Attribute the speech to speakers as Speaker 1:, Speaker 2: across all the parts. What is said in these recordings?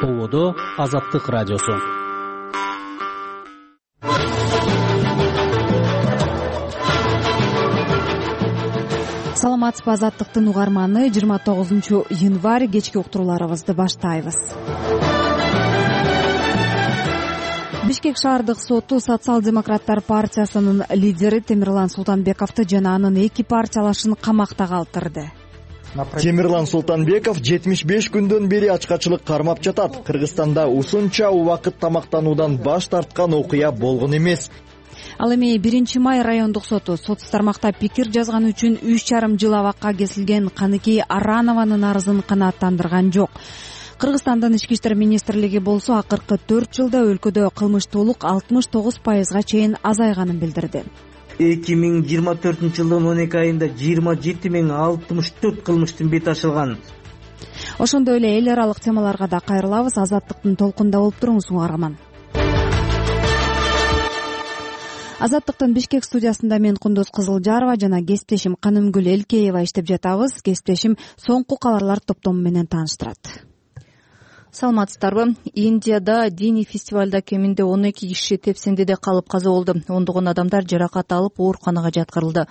Speaker 1: ТОВОдо Азаттык радиосу.
Speaker 2: Саламатсызбы, Азаттыктын угарманы. 29 январь кечки уктурууларыбызды баштайбыз. Бишкек шаардык соту Социал-демократтар партиясынын лидери Темирлан Султанбековду жана анын эки партиялашын камакта калтырды.
Speaker 3: Темирлан Султанбеков 75 күндөн бери ачкачылык кармап жатат. Кыргызстанда усунча убакыт тамактануудан баш тарткан окуя болгон эмес.
Speaker 2: Ал эми 1 май райондук соту соц тармакта пикир жазганы үчүн 3,5 жыл абакка кесилген Каныкей Аранованын арызын канааттандырган жок. Кыргызстандын ички иштер министрлиги болсо акыркы 4 жылда өлкөдө кылмыштуулук 69%га чейин азайганын билдирди.
Speaker 4: 2024 жылдын 12 айында 27.064 кылмыштын бети ачылган.
Speaker 2: Ошондой эле эл аралык темаларга да кайрылабыз. Азаттыктын толкунда болуп туруңуз, угарман. Азаттыктын Бишкек студиясында мен Кундуз Кызылжарова жана кесиптешим Канымгүл Элкеева иштеп жатабыз. Кесиптешим соңку кабарлар топтому менен тааныштырат.
Speaker 5: Саламатсыздарбы? Индияда диний фестивалда кеминде 12 киши тепсеңдеде калып каза болду. Ондогон адамдар жаракат алып ооруканага жаткырылды.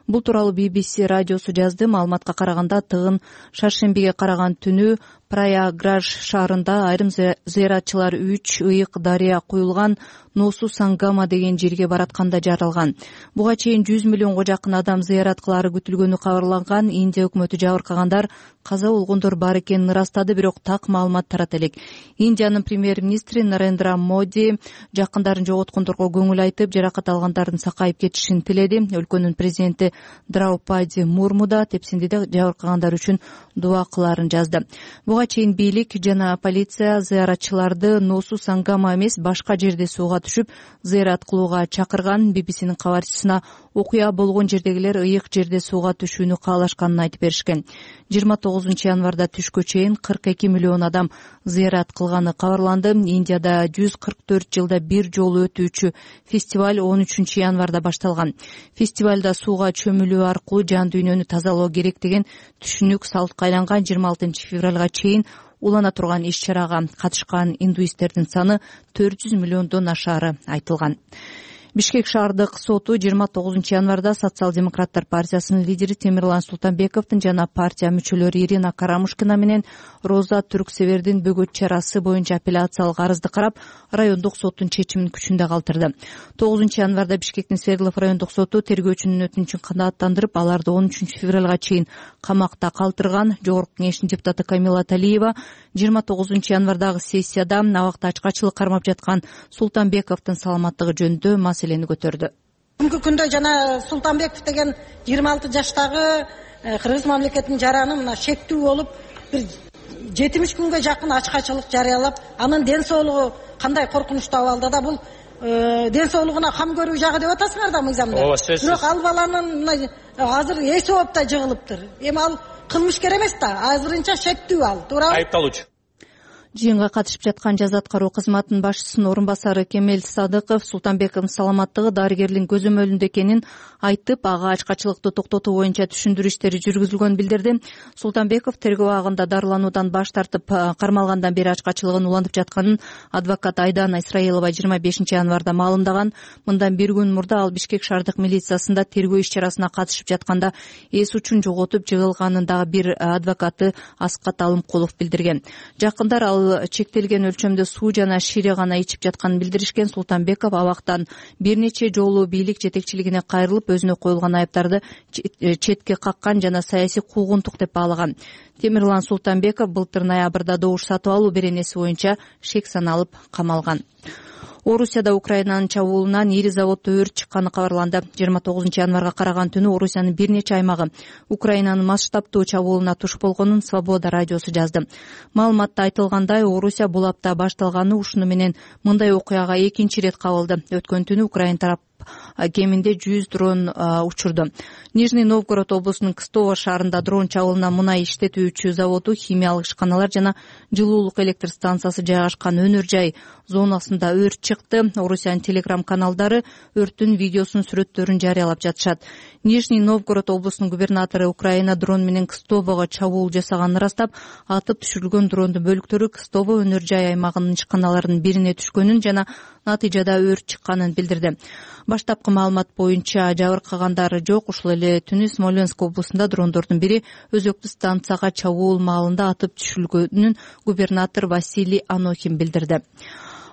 Speaker 5: Бул тууралуу BBC радиосу жазды. Маалыматка караганда тыгын шаршембиге караган түнү Праяграж шаарында айрым зыяратчылар 3 ыйык дарыя куюлган Носу Сангама деген жерге баратканда жаралган. Буга чейин 100 миллионго жакын адам зыярат кылаары күтүлгөнү кабарланган. Индия өкмөтү жабыркагандар каза болгондор бар экенин ырастады, бирок так маалымат тарата элек. Индиянын премьер-министри Нарендра Моди жакындарын жоготкондорго көңүл айтып, жаракат алгандардын сакайып кетишин тиледи. Өлкөнүн президенти Драупади Мурму да тепсеңдеде жабыркагандар үчүн дуа кылаарын жазды. Буга чейин бийлик жана полиция зыяратчыларды Носу Сангама эмес, башка жерде сууга түшүп зыярат кылууга чакырган. BBCнин кабарчысына окуя болгон жердегилер ыйык жерде сууга түшүүнү каалашканын айтып беришкен. 29 январда түшкө чейин 42 миллион адам зыярат кылганы кабарланды. Индияда 144 жылда бир жолу өтүүчү фестиваль 13 январда башталган. Фестивалда сууга чөмүлүү аркылуу жан дүйнөнү тазалоо керек деген түшүнүк салтка айланган. 26 февралга чейин улана турган иш-чарага катышкан индуисттердин саны 400 миллиондон ашаары айтылган. Бишкек шаардык соту 29 январда Социал-демократтар партиясынын лидери Темирлан Султанбековдун жана партия мүчөлөрү Ирина Карамушкина менен Роза Түрксевердин бөгөт чарасы боюнча апелляциялык арызды карап, райондук соттун чечимин күчүндө калтырды. 9 январда Бишкектин Свердлов райондук соту тергөөчүнүн өтүнүчүн канааттандырып, аларды 13 февралга чейин камакта калтырган. Жогорку кеңештин депутаты Камила Талиева 29 январдагы сессияда абакта ачкачылык кармап жаткан Султанбековдун саламаттыгы жөнүндө маселени көтөрдү.
Speaker 6: Бүгүнкү күндө жана Султанбеков деген 26 жаштагы Кыргыз мамлекетинин жараны мына шектүү болуп, бир 70 күнгө жакын ачкачылык жарыялап, анын ден соолугу кандай коркунучтуу абалда да, бул ден соолугуна кам көрүү жагы деп атасыңар да мыйзамда. Бирок ал баланын азыр эси ооп да жыгылыптыр. Эми ал кылмышкер эмес да, азырынча шектүү ал. Туурабы?
Speaker 4: Айыпталуучу.
Speaker 5: Жыйынга катышып жаткан жаза аткаруу кызматынын башчысынын орун басары Кемел Садыков Султанбековдун саламаттыгы дарыгерлин көзөмөлүндө экенин айтып, ага ачкачылыкты токтотуу боюнча түшүндүрүү иштери жүргүзүлгөнүн билдирди. Султанбеков тергөө абагында дарылануудан баш тартып, кармалгандан бери ачкачылыгын улантып жатканын адвокат Айдана Исраилова 25 январда маалымдаган. Мындан бир күн мурда ал Бишкек шаардык милициясында тергөө иш-чарасына катышып жатканда эс учун жоготуп жыгылганын дагы бир адвокаты Аскат Алымкулов билдирген. Жакындар ал чектелген өлчөмдө суу жана шире гана ичип жатканын билдиришкен. Султанбеков абактан бир нече жолу бийлик жетекчилигине кайрылып, өзүнө коюлган айыптарды четке каккан жана саясий куугунтук деп баалаган. Темирлан Султанбеков былтыр ноябрда добуш сатып алуу беренеси боюнча шек саналып камалган. Орусияда Украинанын чабуулунан ири заводдо өрт чыкканы кабарланды. 29 январга караган түнү Орусиянын бир нече аймагы Украинанын масштабтуу чабуулуна туш болгонун Свобода радиосу жазды. Маалыматта айтылгандай, Орусия бул апта башталганы ушуну менен мындай окуяга экинчи ирет кабылды. Өткөн түнү Украин тарап кеминде 100 дрон учурду. Нижний Новгород облусунун Кстово шаарында дрон чабуулунан мунай иштетүүчү заводу, химиялык ишканалар жана жылуулук электр станциясы жайгашкан өнөр жай зонасында өрт чыкты. Орусиянын телеграм-каналдары өрттүн видеосун, сүрөттөрүн жарыялап жатышат. Нижний Новгород облусунун губернатору Украина дрон менен Кстового чабуул жасаганын ырастап, атып түшүрүлгөн дрондун бөлүктөрү Кстово өнөр жай аймагынын ишканаларынын бирине түшкөнүн жана натыйжада өрт чыкканын билдирди. Баштапкы маалымат боюнча жабыркагандар жок. Ушул эле түнү Смоленск облусунда дрондордун бири өзөктү станцияга чабуул маалында атып түшүрүлгөнүн губернатор Василий Анохин билдирди.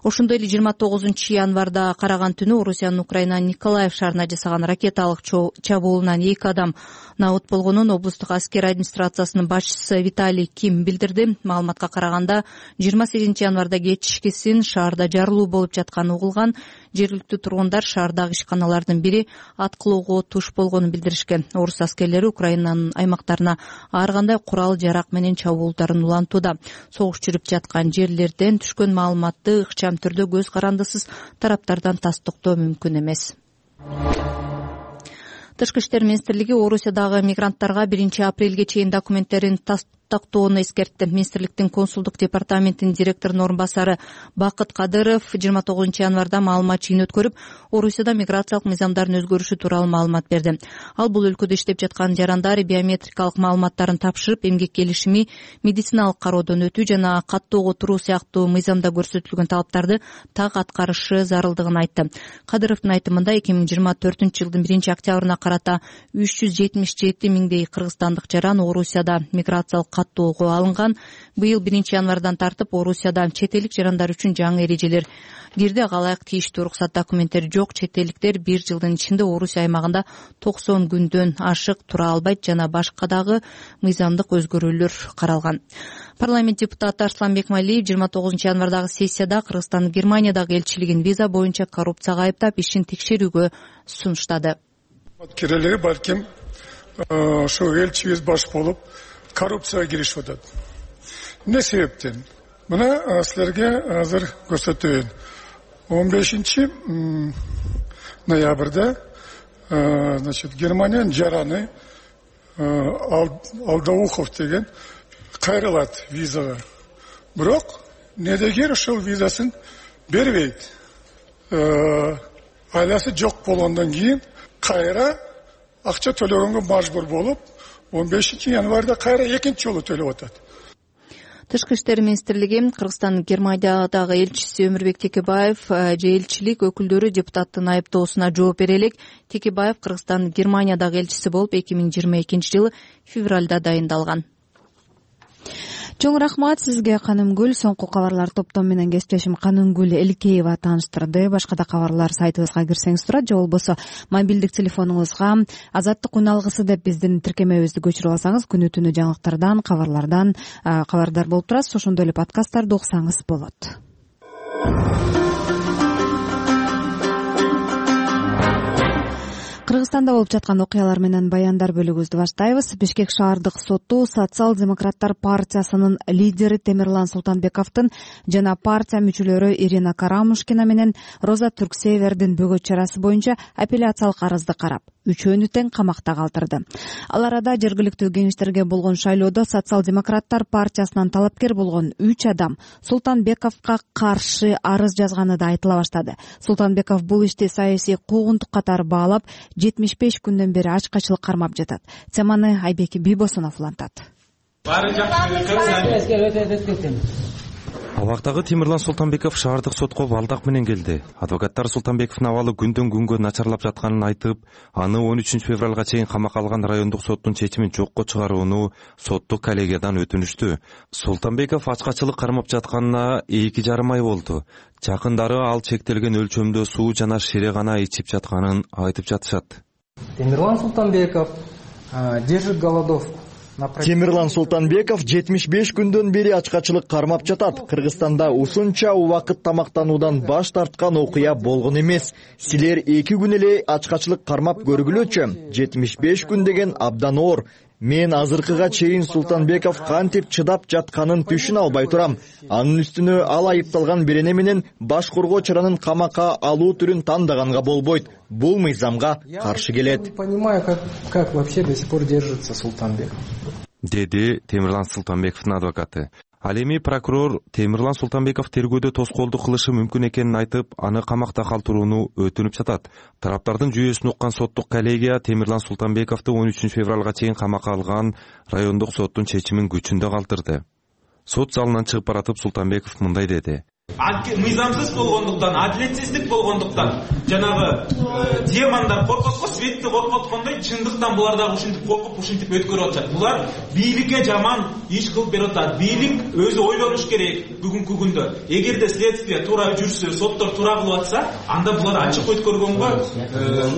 Speaker 5: Ошондой эле 29 январда караган түнү Орусиянын Украинанын Николаев шаарына жасаган ракеталык чабуулунан 2 адам набыт болгонун облустук аскер администрациясынын башчысы Виталий Ким билдирди. Маалыматка караганда 28 январда кечкисин шаарда жарылуу болуп жатканы угулган. Жергиликтүү тургундар шаардагы ишканалардын бири аткылоого туш болгонун билдиришкен. Орус аскерлери Украинанын аймактарына ар кандай курал жарак менен чабуулдарын улантууда. Согуш жүрүп жаткан жерлерден түшкөн маалыматты ыкчам түрдө көз карандысыз тараптардан тастыктоо мүмкүн эмес. Тышкы иштер министрлиги Орусиядагы мигранттарга 1 апрелге чейин документтерин тактоону эскертти. Министрликтин консулдук департаментинин директорунун орун басары Бакыт Кадыров 29 январда маалымат жыйын өткөрүп, Орусияда миграциялык мыйзамдардын өзгөрүшү тууралуу маалымат берди. Ал бул өлкөдө иштеп жаткан жарандар биометрикалык маалыматтарын тапшырып, эмгек келишими, медициналык кароодон өтүү жана каттоого туруу сыяктуу мыйзамда көрсөтүлгөн талаптарды так аткарышы зарылдыгын айтты. Кадыровдун айтымында 2024-жылдын 1 октябрына карата 377 миңдей кыргызстандык жаран Орусияда миграциялык каттоого алынган. Быйыл 1 январдан тартып Орусияда чет элдик жарандар үчүн жаңы эрежелер кирди. Алайык тийиштүү уруксат документтери жок чет элдиктер 1 жылдын ичинде Орусия аймагында 90 күндөн ашык тура албайт жана башка дагы мыйзамдык өзгөрүүлөр каралган. Парламент депутаты Арсланбек Малиев 29 январдагы сессияда Кыргызстандын Германиядагы элчилигин виза боюнча коррупцияга айыптап, ишин текшерүүгө сунуштады.
Speaker 7: Кирелери балким ошо элчибиз баш болуп коррупцияга киришип атат. Эмне себептен? Мына силерге азыр көрсөтөйүн. 15 ноябрда Германиянын жараны Алдаухов деген кайрылат визага. Бирок недегер ошол визасын бербейт. Айласы жок болгондон кийин кайра акча төлөгөнгө мажбур болуп, 15 январда кайра экинчи жолу төлөп атат.
Speaker 5: Тышкы иштер министрлиги Кыргызстандын Германиядагы элчиси Өмүрбек Текебаев же элчилик өкүлдөрү депутаттын айыптоосуна жооп бере элек. Текебаев Кыргызстандын Германиядагы элчиси болуп 2022-жылы февралда дайындалган.
Speaker 2: Чоң рахмат сизге, Канымгүл. Соңку кабарлар топтом менен кесиптешим Канымгүл Элкеева тааныштырды. Башка да кабарлар сайтыбызга кирсеңиз турат, же болбосо мобилдик телефонуңузга Азаттык үн алгысы деп биздин тиркемебизди көчүрүп алсаңыз, күнү түнү жаңылыктардан, кабарлардан кабардар болуп турасыз. Ошондой эле подкасттарды уксаңыз болот. Кыргызстанда болуп жаткан окуялар менен баяндар бөлүгүбүздү баштайбыз. Бишкек шаардык соту Социал-демократтар партиясынын лидери Темирлан Султанбековдун жана партия мүчөлөрү Ирина Карамушкина менен Роза Түрксевердин бөгөт чарасы боюнча апелляциялык арызды карап, үчөөнү тең камакта калтырды. Ал арада жергиликтүү кеңештерге болгон шайлоодо Социал-демократтар партиясынан талапкер болгон 3 адам Султанбековго каршы арыз жазганы да айтыла баштады. Султанбеков бул ишти саясий куугунтук катары баалап, 75 күндөн бери ачкачылык кармап жатат. Теманы Айбек Бийбосунов улантат.
Speaker 8: Абактагы Темирлан Султанбеков шаардык сотко балдак менен келди. Адвокаттар Султанбековдун абалы күндөн күнгө начарлап жатканын айтып, аны 13 февралга чейин камакка алган райондук соттун чечимин жокко чыгарууну соттук коллегиядан өтүнүштү. Султанбеков ачкачылык кармап жатканына 2,5 ай болду. Жакындары ал чектелген өлчөмдө суу жана шире гана ичип жатканын айтып жатышат.
Speaker 9: Темирлан Султанбеков держит голодовку.
Speaker 3: Темирлан Султанбеков 75 күндөн бери ачкачылык кармап жатат. Кыргызстанда ушунча убакыт тамактануудан баш тарткан окуя болгон эмес. Силер 2 күн эле ачкачылык кармап көргүлөчү. 75 күн деген абдан оор. Мен азыркыга чейин Султанбеков кантип чыдап жатканын түшүнө албай турам. Анын үстүнө ал айыпталган берене менен баш коргоо чаранын камакка алуу түрүн тандаганга болбойт. Бул мыйзамга каршы келет.
Speaker 9: Не понимаю, как вообще до сих пор держится Султанбеков.
Speaker 8: Деди Темирлан Султанбековдун адвокаты. Ал эми прокурор Темирлан Султанбеков тергөөдө тоскоолдук кылышы мүмкүн экенин айтып, аны камакта калтырууну өтүнүп жатат. Тараптардын жүйөсүн уккан соттук коллегия Темирлан Султанбековду 13 февралга чейин камакка алган райондук соттун чечимин күчүндө калтырды. Сот залынан чыгып баратып Султанбеков мындай деди.
Speaker 10: Мыйзамсыз болгондуктан, адилетсиздик болгондуктан, жанагы демондар коркот го, светти коркоткондой, чындыктан булар дагы ушинтип коркуп, ушинтип өткөрүп атышат. Булар бийликке жаман иш кылып берип атат. Бийлик өзү ойлонуш керек бүгүнкү күндө. Эгерде следствие туура жүрсө, соттор туура кылып атса, анда булар ачык өткөргөнгө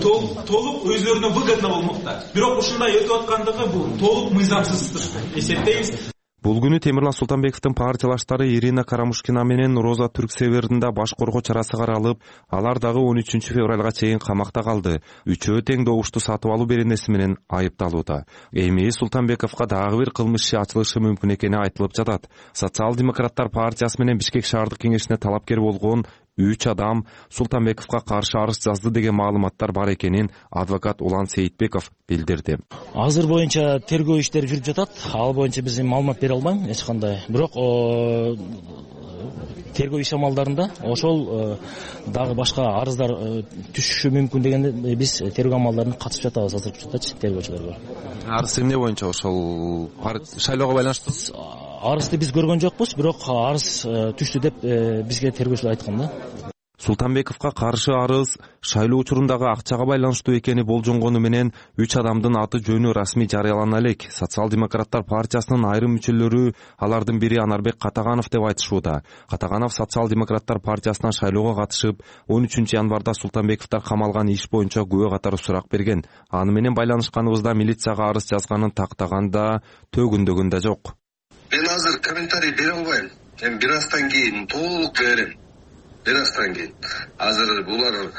Speaker 10: толук өзүлөрүнө выгодно болмокта. Бирок ушундай өтүп аткандыгы бул толук мыйзамсыз деп эсептейбиз.
Speaker 8: Бул күнү Темирлан Султанбековдун партиялаштары Ирина Карамушкина менен Роза Түрксевердин баш коргоо чарасы каралып, алар дагы 13 февралга чейин камакта калды. Үчөө тең добушту сатып алуу беренеси менен айыпталууда. Эми Султанбековго дагы бир кылмыш иши ачылышы мүмкүн экени айтылып жатат. Социал-демократтар партиясы менен Бишкек шаардык кеңешине талапкер болгон 3 адам Султанбековго каршы арыз жазды деген маалыматтар бар экенин адвокат Улан Сейитбеков билдирди.
Speaker 11: Азыр боюнча тергөө иштери жүрүп жатат. Ал боюнча биз маалымат бере албайм эч кандай. Бирок тергөө иш амалдарында ошол дагы башка арыздар түшүшү мүмкүн дегенде биз тергөө амалдарына катышып жатабыз азыркы учурда тергөөчүлөр.
Speaker 8: Арыз эмне боюнча ошол шайлоого байланыштуу?
Speaker 11: Арызды биз көргөн жокпуз, бирок арыз түштү деп бизге тергөөчүлөр айткан да.
Speaker 8: Султанбековго каршы арыз шайлоо учурундагы акчага байланыштуу экени болжонгону менен 3 адамдын аты жөнү расмий жарыялана элек. Социал-демократтар партиясынын айрым мүчөлөрү, алардын бири Анарбек Катаганов деп айтышууда. Катаганов Социал-демократтар партиясынан шайлоого катышып, 13 январда Султанбековдор камалган иш боюнча күбө катары сурак берген. Аны менен байланышканыбызда милицияга арыз жазганын тактаганда төгүндөгөн да жок.
Speaker 12: Мен азыр комментарий бере албайм. Эми бир аздан кийин толук берем. Бир аздан кийин. Азыр булар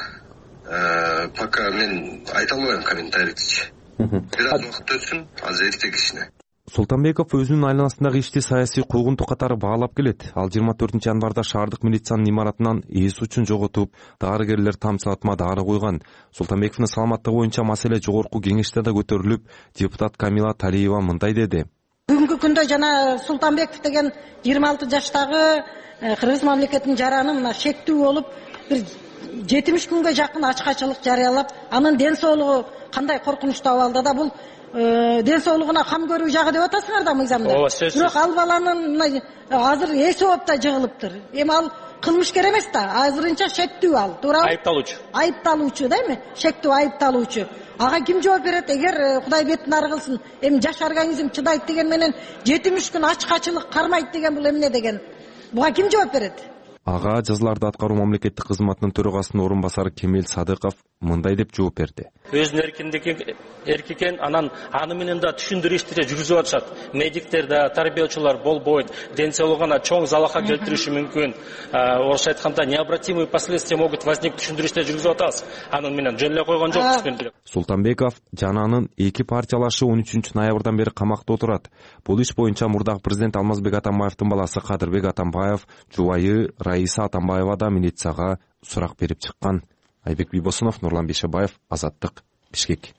Speaker 12: пока мен айта албайм комментарийчи. Бир аз убакыт өтсүн, азыр эртең ишине.
Speaker 8: Султанбеков өзүнүн айланасындагы ишти саясий куугунтук катары баалап келет. Ал 24 январда шаардык милициянын имаратынан эс учун жоготуп, дарыгерлер тамчылатма дары куйган. Султанбековдун саламаттыгы боюнча маселе жогорку кеңеште да көтөрүлүп, депутат Камила Талиева мындай деди.
Speaker 6: Бүгүнкү күндө жана Султанбеков деген 26 жаштагы Кыргыз мамлекетинин жараны мына шектүү болуп, бир 70 күнгө жакын ачкачылык жарыялап, анын ден соолугу кандай коркунучтуу абалда да бул ден соолугуна кам көрүү жагы деп атасыңар да мыйзамда. Бирок ал баланын азыр эс ооп да жыгылыптыр. Эми ал кылмышкер эмес да, азырынча шектүү ал, туурабы? Айыпталуучу да эми, шектүү айыпталуучу. Ага ким жооп берет? Эгер Кудай бетин ары кылсын, эми жаш организм чыдайт деген менен 70 күн ачкачылык кармайт деген бул эмне деген? Буга ким жооп берет?
Speaker 8: Ага жазаларды аткаруу мамлекеттик кызматынын төрагасынын орун басары Кемел Садыков мындай деп жооп берди.
Speaker 13: Өзүнүн эркикен, анан аны менен да түшүндүрүү иштери жүргүзүп атышат. Медиктер да, тарбиячылар болбойт, ден соолугуна чоң залака келтириши мүмкүн. Орусча айтканда необратимые последствия могут возникнуть, түшүндүрүү иштери жүргүзүп атабыз. Анын менен жөн эле койгон жокпуз түшүндүрүп.
Speaker 8: Султанбеков жана анын 2 партиялашы 13 ноябрдан бери камакта отурат. Бул иш боюнча мурдагы президент Алмазбек Атамбаевдин баласы Кадырбек Атамбаев, жубайы Раиса Атамбаева да милицияга сурак берип чыккан. Айбек Бибосунов, Нурлан Бишебаев, Азаттык, Бишкек.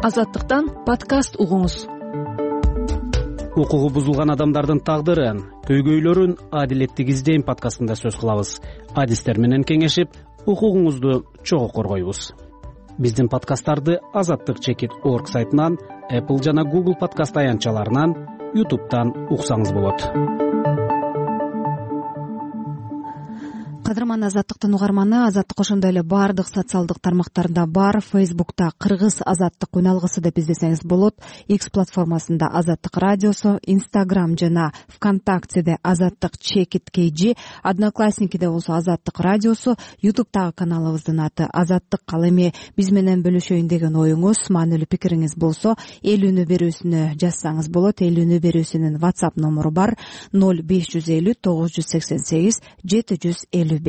Speaker 5: Азаттыктан подкаст угуңуз.
Speaker 1: Укугу бузулган адамдардын тагдырын, көйгөйлөрүн адилеттик издейм подкастында сөз кылабыз. Адистер менен кеңешип, укугуңузду чогуу коргойбуз. Биздин подкасттарды azattik.org сайтынан, Apple жана Google подкаст аянтчаларынан, YouTube'дан уксаңыз болот.
Speaker 2: Кадырман Азаттыктын угарманы, Азаттык ошондой эле баардык социалдык тармактарда бар. Facebook'та Кыргыз Азаттык үналгысы деп издесеңиз болот. X платформасында Азаттык радиосу, Instagram жана ВКонтактеде Азаттык Чекит KG, Одноклассникиде болсо Азаттык радиосу, YouTube'тагы каналыбыздын аты Азаттык. Ал эми биз менен бөлүшөйүн деген оюңуз, маанилүү пикириңиз болсо, элүүнү берүүсүнө жазсаңыз болот. Элүүнү берүүсүнүн WhatsApp номуру бар: 0550 988 755.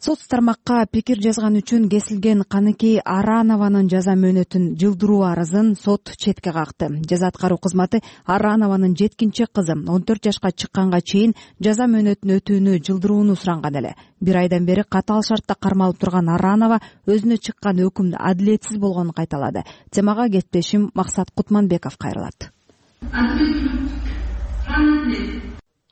Speaker 2: соц тармакка пикир жазган үчүн кесилген Каныкей Аранованын жаза мөөнөтүн жылдыруу арызын сот четке какты. Жаза аткаруу кызматы Аранованын жеткинчек кызы 14 жашка чыкканга чейин жаза мөөнөтүн өтүүнү жылдырууну суранган эле. Бир айдан бери катаал шартта кармалып турган Аранова өзүнө чыккан өкүм адилетсиз болгонун кайталады. Темага кесиптешим Максат Кутманбеков кайрылат.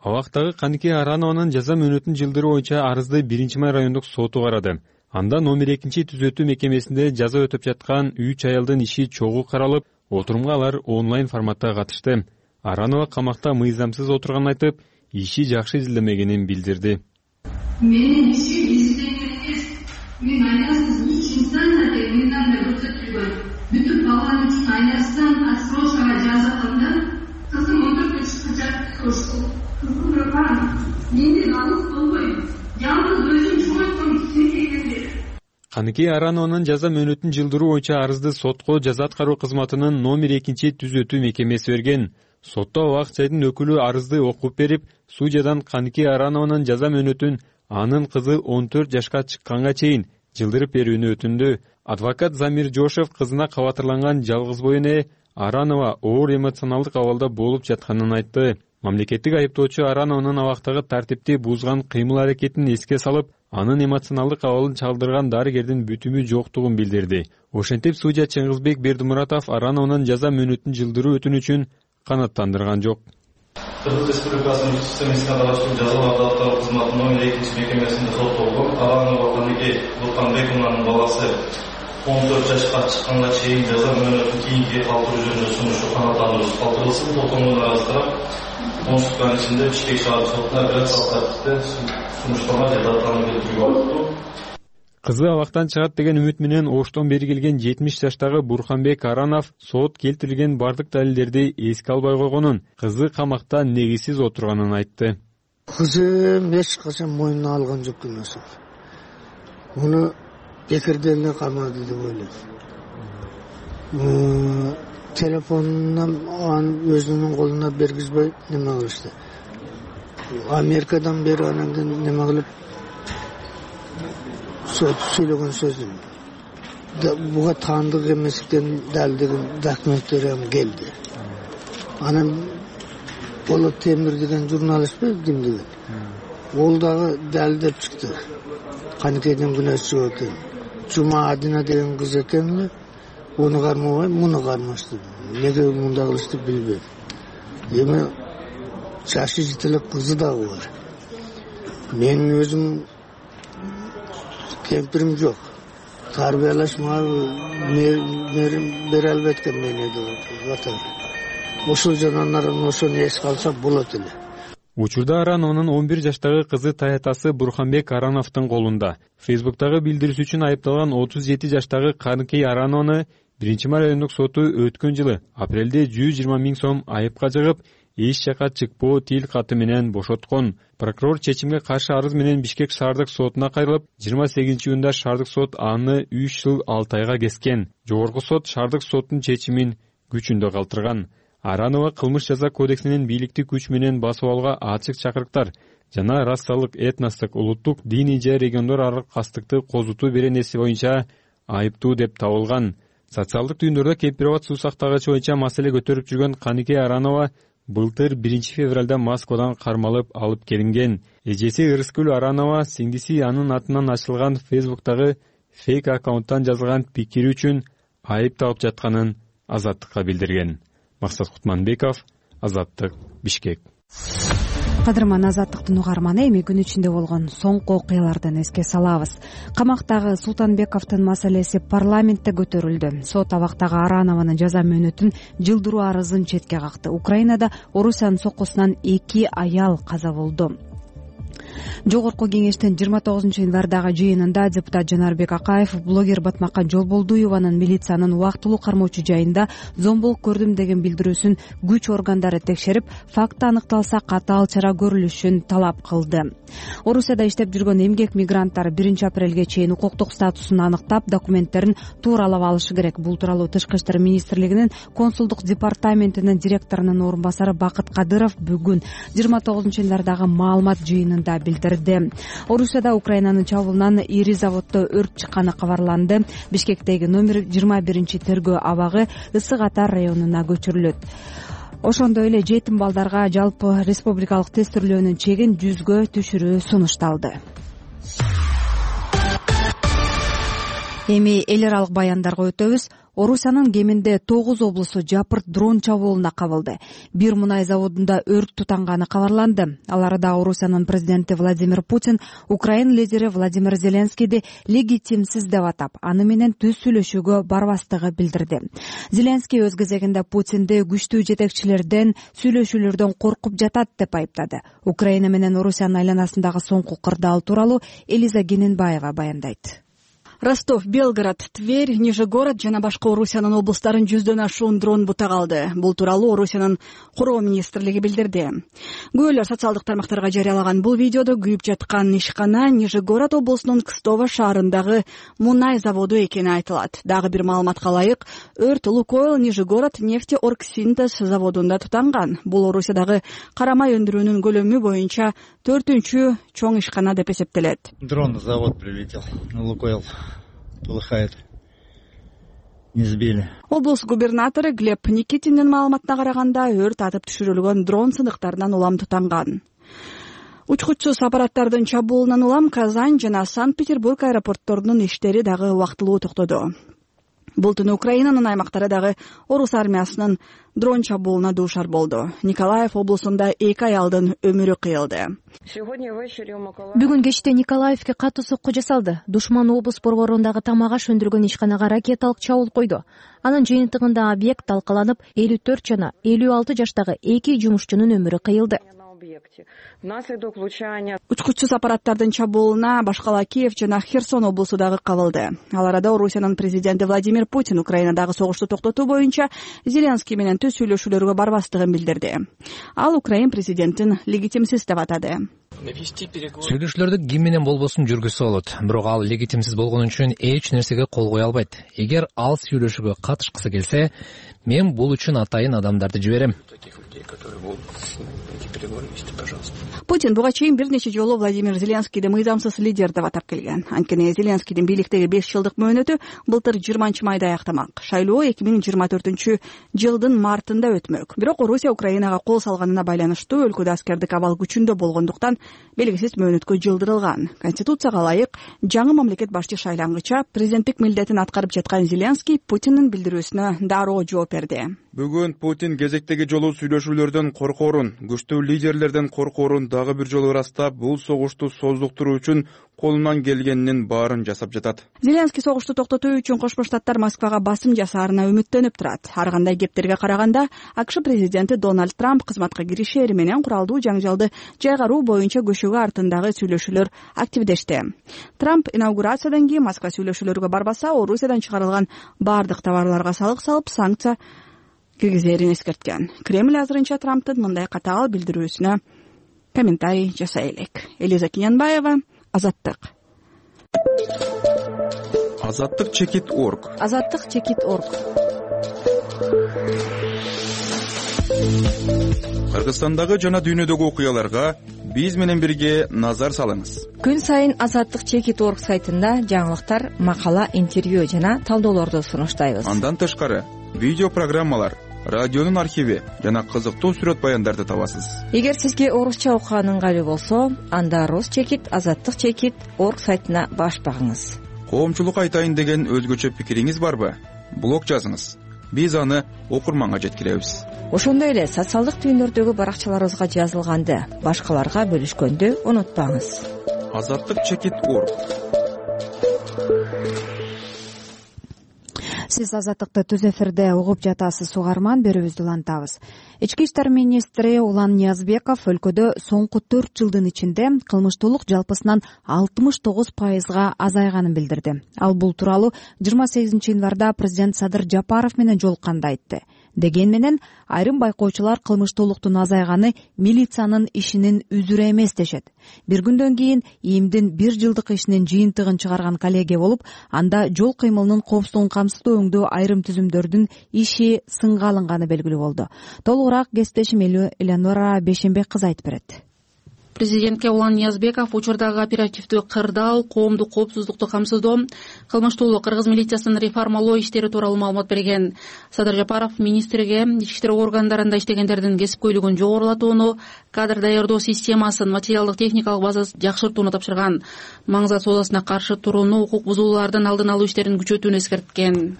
Speaker 14: Абактагы Каныкей Аранованын жаза мөөнөтүн жылдыруу боюнча арызды 1-май райондук соту карады. Анда номер 2-түзөтүү мекемесинде жаза өтөп жаткан 3 аялдын иши чогуу каралып, отурумга алар онлайн форматта катышты. Аранова камакта мыйзамсыз отурганын айтып, иши жакшы изилдемегенин билдирди.
Speaker 15: Менин ишим изилдеген эмес. Мен айласыз 3 инстанция деп мындан да көрсөтүлгөн. Бүтүп калган үчүн айласыздан отсрочкага жазылганда кызым 14 жашка чыкты.
Speaker 14: Каныкей Аранованын жаза мөөнөтүн жылдыруу боюнча арызды сотко жаза аткаруу кызматынын номер 2-түзөтүү мекемеси берген. Сотто Ак жайдын өкүлү арызды окуп берип, судьядан Каныкей Аранованын жаза мөөнөтүн анын кызы 14 жашка чыкканга чейин жылдырып берүүнү өтүндү. Адвокат Замир Жошев кызына кабатырланган жалгызбой эне Аранова оор эмоционалдык абалда болуп жатканын айтты. Мамлекеттик айыптоочу Аранованын абактагы тартипти бузган кыймыл-аракетин эске салып, анын эмоционалдык абалын чалдырган дарыгердин бүтүмү жоктугун билдирди. Ошентип судья Чыңгызбек Бердимуратов Аранованын жаза мөөнөтүн жылдыруу өтүнүчүн канааттандырган жок.
Speaker 16: Кыргыз Республикасынын ички истер министрлигине караштуу жазаларды аткаруу кызматынын номер 2-мекемесинде соттолгон Аранова Каныкей Бурканбековнанын баласы 14 жашка чыкканга чейин жаза мөөнөтүн кийинки калтыруу жөнүндө сунушу канааттандыруу калтырылсын. Толтонуна арастырып, Оңтүстүк ичинде Бишкек шаардык сотуна апелляциялык тартипте сунушталган жазаларды келтирүүгө болупту.
Speaker 14: Кызы абактан чыгат деген үмүт менен Оштон бери келген 70 жаштагы Бурханбек Аранов сот келтирилген бардык далилдерди эске албай койгонун, кызы камакта негизсиз отурганын айтты.
Speaker 17: Кызым эч качан мойнуна алган жок эмес. Муну бекерден эле камады деп ойлойм. Телефонунан өзүнүн колуна бергизбей неме кылышты. Америкадан бери анан неме кылып сөйлөгөн сөзүм. Буга таандык эместиктен далилдеген документтер келди. Анан Болот Темир деген журналист ким деген. Ол дагы далилдеп чыкты. Каныкейден күнөөсү жок экен. Жума Адина деген кыз экен. Onu karmabay, bunu karmıştı. Nege munda kılıştı bilmem. Yeme çaşı jitilik kızı da var. Benim özüm kempirim yok. Tarbiyeleşme bir elbette beni de vatan. Oşul cananların oşunu es kalsa bulat ile.
Speaker 14: Учурда Аранованын 11 жаштагы кызы таятасы Бурханбек Арановдун колунда. Фейсбуктагы билдирүүсү үчүн айыпталган 37 жаштагы Каныкей Аранованы 1-май райондук соту өткөн жылы апрелде 120 000 сом айыпка жыгып, эч жака чыкпоо тил каты менен бошоткон. Прокурор чечимге каршы арыз менен Бишкек шаардык сотуна кайрылып, 28-июнда шаардык сот аны 3 жыл 6 айга кескен. Жогорку сот шаардык соттун чечимин күчүндө калтырган. Аранова кылмыш жаза кодексинин бийликти күч менен басып алууга ачык чакырыктар жана расалык, этностук, улуттук, диний же региондор аралык кастыкты козутуу беренеси боюнча айыптуу деп табылган. Социалдык түйүндөрдө кемпирабад суу сактагычы боюнча маселе көтөрүп жүргөн Каныкей Аранова былтыр 1-февралда Москвадан кармалып алып келинген. Эжеси Ырыскүл Аранова сиңдиси анын атынан ачылган Фейсбуктагы фейк аккаунттан жазылган пикири үчүн айып таап жатканын Азаттыкка билдирген. Максат Кутманбеков, Азаттык, Бишкек.
Speaker 2: Кадырман Азаттыктын угарманы, эми күн ичинде болгон соңку окуялардан эске салабыз. Камактагы Султанбековдун маселеси парламентте көтөрүлдү. Сот абактагы Аранованын жаза мөөнөтүн жылдыруу арызын четке какты. Украинада Орусиянын соккусунан 2 аял каза болду. Жогорку кеңештин 29-январдагы жыйынында депутат Жанарбек Акаев блогер Батмакка Жолболдуеванын милициянын убактылуу кармоочу жайында зомбулук көрдүм деген билдирүүсүн күч органдары текшерип, факты аныкталса катаал чара көрүлүшүн талап кылды. Орусияда иштеп жүргөн эмгек мигранттар 1-апрелге чейин укуктук статусун аныктап, документтерин тууралап алышы керек. Бул тууралуу Тышкы иштер министрлигинин консулдук департаментинин директорунун орун басары Бакыт Кадыров бүгүн 29-январдагы маалымат жыйынында билдирди. Орусияда Украинанын чабуулунан ири заводдо өрт чыкканы кабарланды. Бишкектеги номер 21 тергөө абагы Ысык Ата районуна көчүрүлөт. Ошондой эле жетим балдарга жалпы республикалык тестирлөөнүн чегин 100гө түшүрүү сунушталды. Эми эл аралык баяндарга өтөбүз. Орусиянын кеминде 9 облусу жапырт дрон чабуулуна кабылды. Бир мунай заводунда өрт тутанганы кабарланды. Ал арада Орусиянын президенти Владимир Путин Украина лидери Владимир Зеленскийди легитимсиз деп атап, аны менен түз сүйлөшүүгө барбастыгы билдирди. Зеленский өз кезегинде Путинди күчтүү жетекчилерден, сүйлөшүүлөрдөн коркуп жатат деп айыптады. Украина менен Орусиянын айланасындагы соңку кырдаал тууралуу Элиза Гененбаева баяндайт.
Speaker 18: Ростов, Белгород, Тверь, Нижегород жана башка Орусиянын облустарын 100дөн ашуун дрон бутак алды. Бул тууралуу Орусиянын короо министрлиги билдирди. Күбөлөр социалдык тармактарга жарыялаган бул видеодо күйүп жаткан ишкана Нижегород облусунун Кстово шаарындагы мунай заводу экени айтылат. Дагы бир маалыматка ылайык, өрт Лукойл Нижегород нефтеоргсинтез заводунда тутанган. Бул Орусиядагы карамай өндүрүүнүн көлөмү боюнча 4-чү чоң ишкана деп эсептелет.
Speaker 19: Дрон на завод прилетел, Лукойл. Полыхает. Не сбили.
Speaker 18: Облус губернатору Глеб Никитиндин маалыматына караганда, өрт атып түшүрүлгөн дрон сыныктарынан улам тутанган. Учкучсуз аппараттардын чабуулунан улам Казань жана Санкт-Петербург аэропортторунун иштери дагы убактылуу токтоду. Бул түнү Украинанын аймактары дагы орус армиясынын дрон чабуулуна дуушар болду. Николаев облусунда 2 аялдын өмүрү кыйылды.
Speaker 20: Бүгүн кечте Николаевке катуу сокку жасалды. Душман облус борборундагы тамак аш өндүргөн ишканага ракеталык чабуул койду. Анын жыйынтыгында объект талкаланып, 54 жана 56 жаштагы 2 жумушчунун өмүрү кыйылды.
Speaker 18: Учкучсуз аппараттардын чабуулуна башкала Киев жана Херсон облусу дагы кабылды. Ал арада Орусиянын президенти Владимир Путин Украинадагы согушту токтотуу боюнча Зеленский менен түз сүйлөшүүлөргө барбастыгын билдирди. Ал Украин президентин легитимсиз деп атады.
Speaker 21: Сүйлөшүүлөрдү ким менен болбосун жүргүзсө болот, бирок ал легитимсиз болгон үчүн эч нерсеге кол кое албайт. Эгер ал сүйлөшүүгө катышкысы келсе, мен бул үчүн атайын адамдарды жиберем.
Speaker 18: Путин буга чейин бир нече жолу Владимир Зеленскийди мыйзамсыз лидер деп атап келген. Анткени Зеленскийдин бийликтеги 5 жылдык мөөнөтү былтыр 20-майда аяктамак. Шайлоо 2024-жылдын мартында өтмөк. Бирок Орусия Украинага кол салганына байланыштуу өлкөдө аскердик абал күчүндө болгондуктан белгисиз мөөнөткө жылдырылган. Конституцияга ылайык жаңы мамлекет башчы шайлангыча президенттик милдетин аткарып жаткан Зеленский Путиндин билдирүүсүнө дароо жооп берди.
Speaker 22: Бүгүн Путин кезектеги жолу сүйлөшүүлөрдөн коркоорун, күчтүү лидерлерден коркоорун дагы бир жолу ырастап, бул согушту создуктуруу үчүн колунан келгенинин баарын жасап жатат.
Speaker 18: Зеленский согушту токтотуу үчүн Кошмо Штаттар Москвага басым жасаарына үмүттөнүп турат. Ар кандай кептерге караганда, АКШ президенти Дональд Трамп кызматка киришери менен куралдуу жаңжалды жайгаруу боюнча көчөгө артындагы сүйлөшүүлөр активдешти. Трамп инаугурациядан кийин Москва сүйлөшүүлөргө барбаса, Орусиядан чыгарылган бардык товарларга салык салып, санкция киргизерин эскерткен. Кремль азырынча Трамптын мындай катаал билдирүүсүнө комментарий жасай элек. Элиза Гененбаева, Азаттык.
Speaker 22: Азаттык чекит.орг.
Speaker 20: Азаттык чекит.орг.
Speaker 22: Кыргызстандагы жана дүйнөдөгү окуяларга биз менен бирге назар салыңыз.
Speaker 20: Күн сайын Азаттык чекит.орг сайтында жаңылыктар, макала, интервью жана талдоолорду сунуштайбыз.
Speaker 22: Андан тышкары видео программалар, радионун архиви жана кызыктуу сүрөт баяндарды табасыз.
Speaker 20: Эгер сизге орусча окуган ыңгайлуу болсо, анда Рус чекит, Азаттык чекит.орг сайтына баш багыңыз.
Speaker 22: Коомчулукка айтайын деген өзгөчө пикириңиз барбы? Блог жазыңыз. Биз аны окурманга жеткиребиз.
Speaker 20: Ошондой эле социалдык түйүндөрдөгү баракчаларыбызга жазылганды башкаларга бөлүшкөндү унутпаңыз.
Speaker 22: Азаттык чекит.орг.
Speaker 2: Сиз Азаттыкты түз эфирде угуп жатасыз, угарман, берүүбүздү улантабыз. Ички иштер министри Улан Ниязбеков өлкөдө соңку 4 жылдын ичинде кылмыштуулук жалпысынан 69%га азайганын билдирди. Ал бул тууралуу 28-январда президент Садыр Жапаров менен жолукканда айтты. Деген менен айрым байкоочулар кылмыштуулуктун азайганы милициянын ишинин үзүрү эмес дешет. Бир күндөн кийин ИИМдин 1 жылдык ишинин жыйынтыгын чыгарган коллегия болуп, анда жол кыймылынын коопсуздугун камсыздоо өңдөө айрым түзүмдөрдүн иши сынга алынганы белгилүү болду. Толугураак кесиптешим Элеонора Бешенбек кызы айтып берет.
Speaker 4: Президентке Улан Ниязбеков учурдагы оперативдүү кырдаал, коомдук коопсуздукту камсыздоо, кылмыштуулук, кыргыз милициясын реформалоо иштери тууралуу маалымат берген. Садыр Жапаров министрге ички иштер органдарында иштегендердин кесипкөйлүгүн жогорулатууну, кадр даярдоо системасын, материалдык техникалык базасын жакшыртууну тапшырган. Маңзат соодасына каршы турууну, укук бузуулардын алдын алуу иштерин күчөтүүнү эскерткен.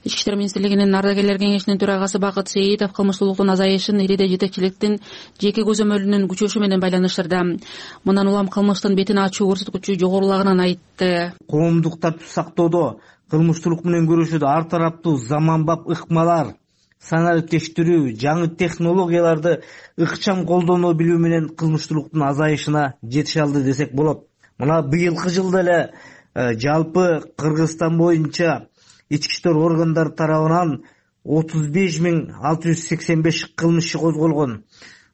Speaker 4: Ички иштер министрлигинин ардагерлер кеңешинин төрагасы Бакыт Сейитов кылмыштуулуктун азайышын ириде жетекчиликтин жеке көзөмөлүнүн күчөшү менен байланыштырды. Мындан улам кылмыштын бетин ачуу көрсөткүчү жогорулаганын айтты.
Speaker 7: Коомдук тартип сактоодо кылмыштуулук менен күрөшүүдө ар тараптуу заманбап ыкмалар, саналык тештирүү, жаңы технологияларды ыкчам колдоно билүү менен кылмыштуулуктун азайышына жетише алды десек болот. Мына быйылкы жылда эле жалпы Кыргызстан боюнча ички иштер органдары тарабынан 35.685 кылмыш козголгон.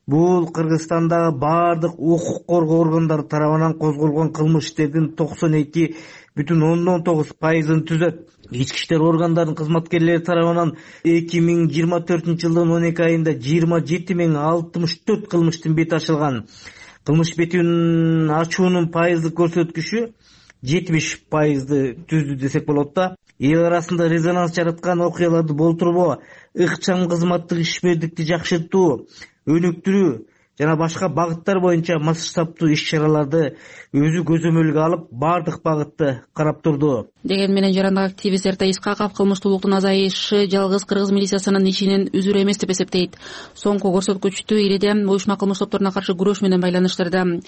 Speaker 7: Бул Кыргызстандагы бардык укук коргоо органдары тарабынан козголгон кылмыш иштердин 92,9%-ын түзөт. Ички иштер органдарынын кызматкерлери тарабынан 2024 жылдын 12 айында 27.064 кылмыштын бети ачылган. Кылмыш бетин ачуунун пайыздык көрсөткүчү 70%-ды түздү десек болот да. Эл арасында резонанс жараткан окуяларды болтурбоо, ыкчам кызматтык ишмердикти жакшыртуу, өнүктүрүү жана башка багыттар боюнча масштабтуу иш-чараларды өзү көзөмөлгө алып, бардык багытты карап турду.
Speaker 4: Деген менен жарандык активист Эртай Искаков кылмыштуулуктун азайышы жалгыз кыргыз милициясынын ишинин үзүрү эмес деп эсептейт. Соңку көрсөткүчтү ириде уюшма кылмыш топторуна каршы күрөш менен байланыштырды.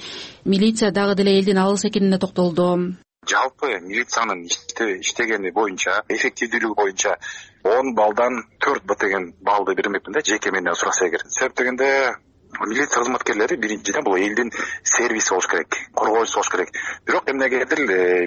Speaker 4: Милиция дагы деле элдин алыс экенине токтолду.
Speaker 23: Жалпы милициянын иштегени боюнча, эффективдүүлүгү боюнча 10 балдан 4 деген балды бермекмин да, жеке менен сураса эгер. Себеп дегенде милиция кызматкерлери биринчиден бул элдин сервиси болуш керек, коргоочусу болуш керек. Бирок эмнегедир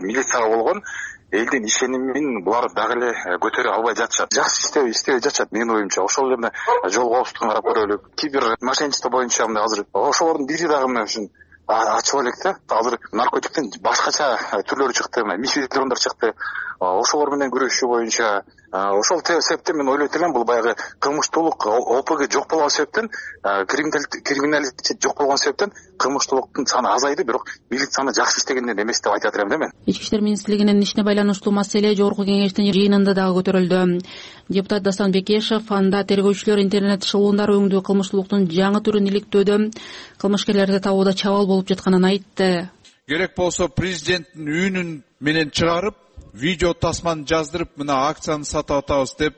Speaker 23: милицияга болгон элдин ишенимин булар дагы эле көтөрө албай жатышат. Жакшы иштебей жатышат менин оюмча. Ошол эле жол коопсуздугун карап көрөлүк. Кибер мошенничество боюнча азыр ошолордун бири дагы мына ушун ачып элек да. Азыр наркотиктин башкача түрлөрү чыкты, мифидрондар чыкты. Ошолор менен күрөшүү боюнча ошол себептен мен ойлойт элем, бул баягы кылмыштуулук ОПГ жок болгон себептен, криминалитет жок болгон себептен кылмыштуулуктун саны азайды, бирок милицияны жакшы иштегенден эмес деп айтат элем да мен.
Speaker 4: Ички иштер министрлигинин ишине байланыштуу маселе жогорку кеңештин жыйынында дагы көтөрүлдү. Депутат Дастан Бекешев анда тергөөчүлөр интернет шылуундар өңдүү кылмыштуулуктун жаңы түрүн иликтөөдө кылмышкерлерди табууда чабал болуп жатканын айтты.
Speaker 24: Керек болсо президенттин үйүнүн менен чыгарып, видео тасманы жаздырып, мына акцияны сатып атабыз деп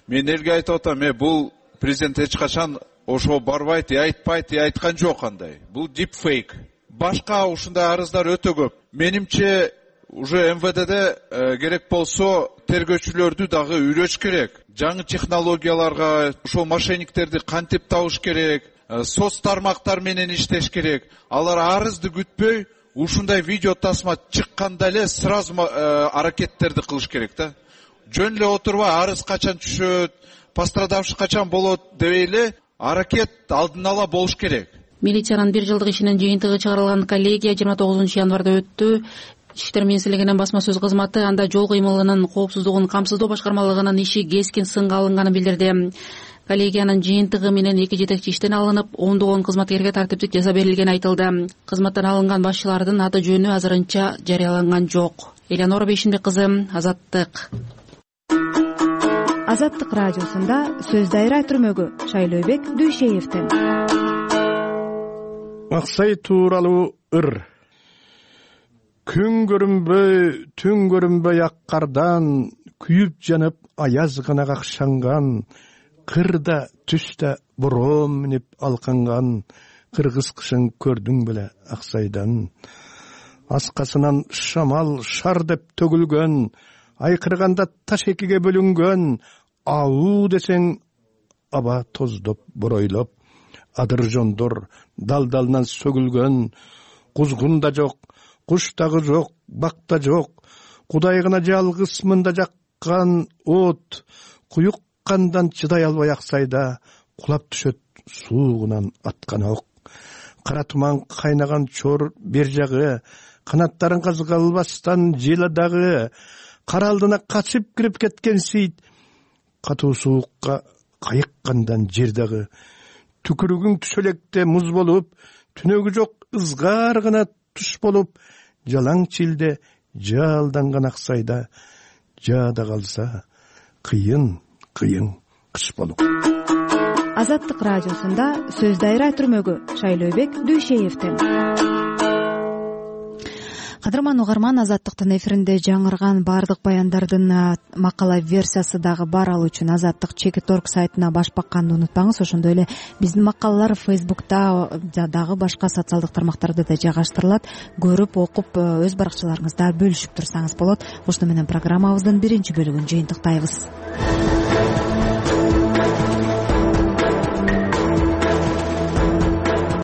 Speaker 24: мен элге айтып атам. Бул президент эч качан ошого барбайт, айтпайт, айткан жок андай. Бул дипфейк. Башка ушундай арыздар өтө көп. Менимче уже МВДде керек болсо тергөөчүлөрдү дагы үйрөтүш керек. Жаңы технологияларга ошол мошенниктерди кантип табыш керек, соц тармактар менен иштеш керек. Алар арызды күтпөй, ушундай видео тасма чыкканда эле сразу аракеттерди кылыш керек да. Жөн эле отурбай арыз качан түшөт, пострадавший качан болот дебей эле аракет алдын ала болуш керек.
Speaker 4: Милициянын 1 жылдык ишинин жыйынтыгы чыгарылган коллегия 29 январда өттү. Ички иштер министрлигинин басма сөз кызматы анда жол кыймылынын коопсуздугун камсыздоо башкармалыгынын иши кескин сынга алынганын билдирди. Коллегиянын жыйынтыгы менен 2 жетекчи иштен алынып, ондогон кызматкерге тартиптик жаза берилгени айтылды. Кызматтан алынган башчылардын аты жөнү азырынча жарыяланган жок. Элеонора Бейшинбек кызы, Азаттык.
Speaker 2: Азаттык радиосунда сөз дайра түрмөгү Шайлообек Дүйшеевден.
Speaker 25: Аксай тууралуу ыр. Күн көрүнбөй, түн көрүнбөй ак кардан, күйүп жанып аяз гана какшанган, кырда түстө бороом минип алканган, кыргыз кышын көрдүң беле Аксайдан. Аскасынан шамал шар деп төгүлгөн, айкырганда таш экиге бөлүнгөн, ауу десең аба тоздоп боройлоп, адыр жондор далдалынан сөгүлгөн, кузгун да жок, куш дагы жок, бак да жок, Кудай гана жалгыз мында жаккан от, куюк кандан чыдай албай Аксайда кулап түшөт суугунан аткан ок. Кара туман кайнаган чор бер жагы, канаттарын казгалбастан жела дагы, кара алдына качып кирип кеткен сейт, катуу суукка кайыккандан жер дагы, түкүрүгүң түшөлекте муз болуп, түнөгү жок ызгар гана туш болуп жалаң чилде жалданган Аксайда жаада калса кыйын кыш болуп.
Speaker 2: Азаттык радиосунда сөз дайра түрмөгү Шайлообек Дүйшеевден. Кадырман угарман, Азаттыктын эфиринде жаңырган баардык баяндардын макала версиясы дагы бар. Ал үчүн Азаттык.org сайтына баш бакканды унутпаңыз. Ошондой эле биздин макалалар Facebook'та дагы башка социалдык тармактарда да жайгаштырылат. Көрүп, окуп, өз баракчаларыңызда бөлүшүп турсаңыз болот. Ошону менен программабыздын биринчи бөлүгүн жыйынтыктайбыз.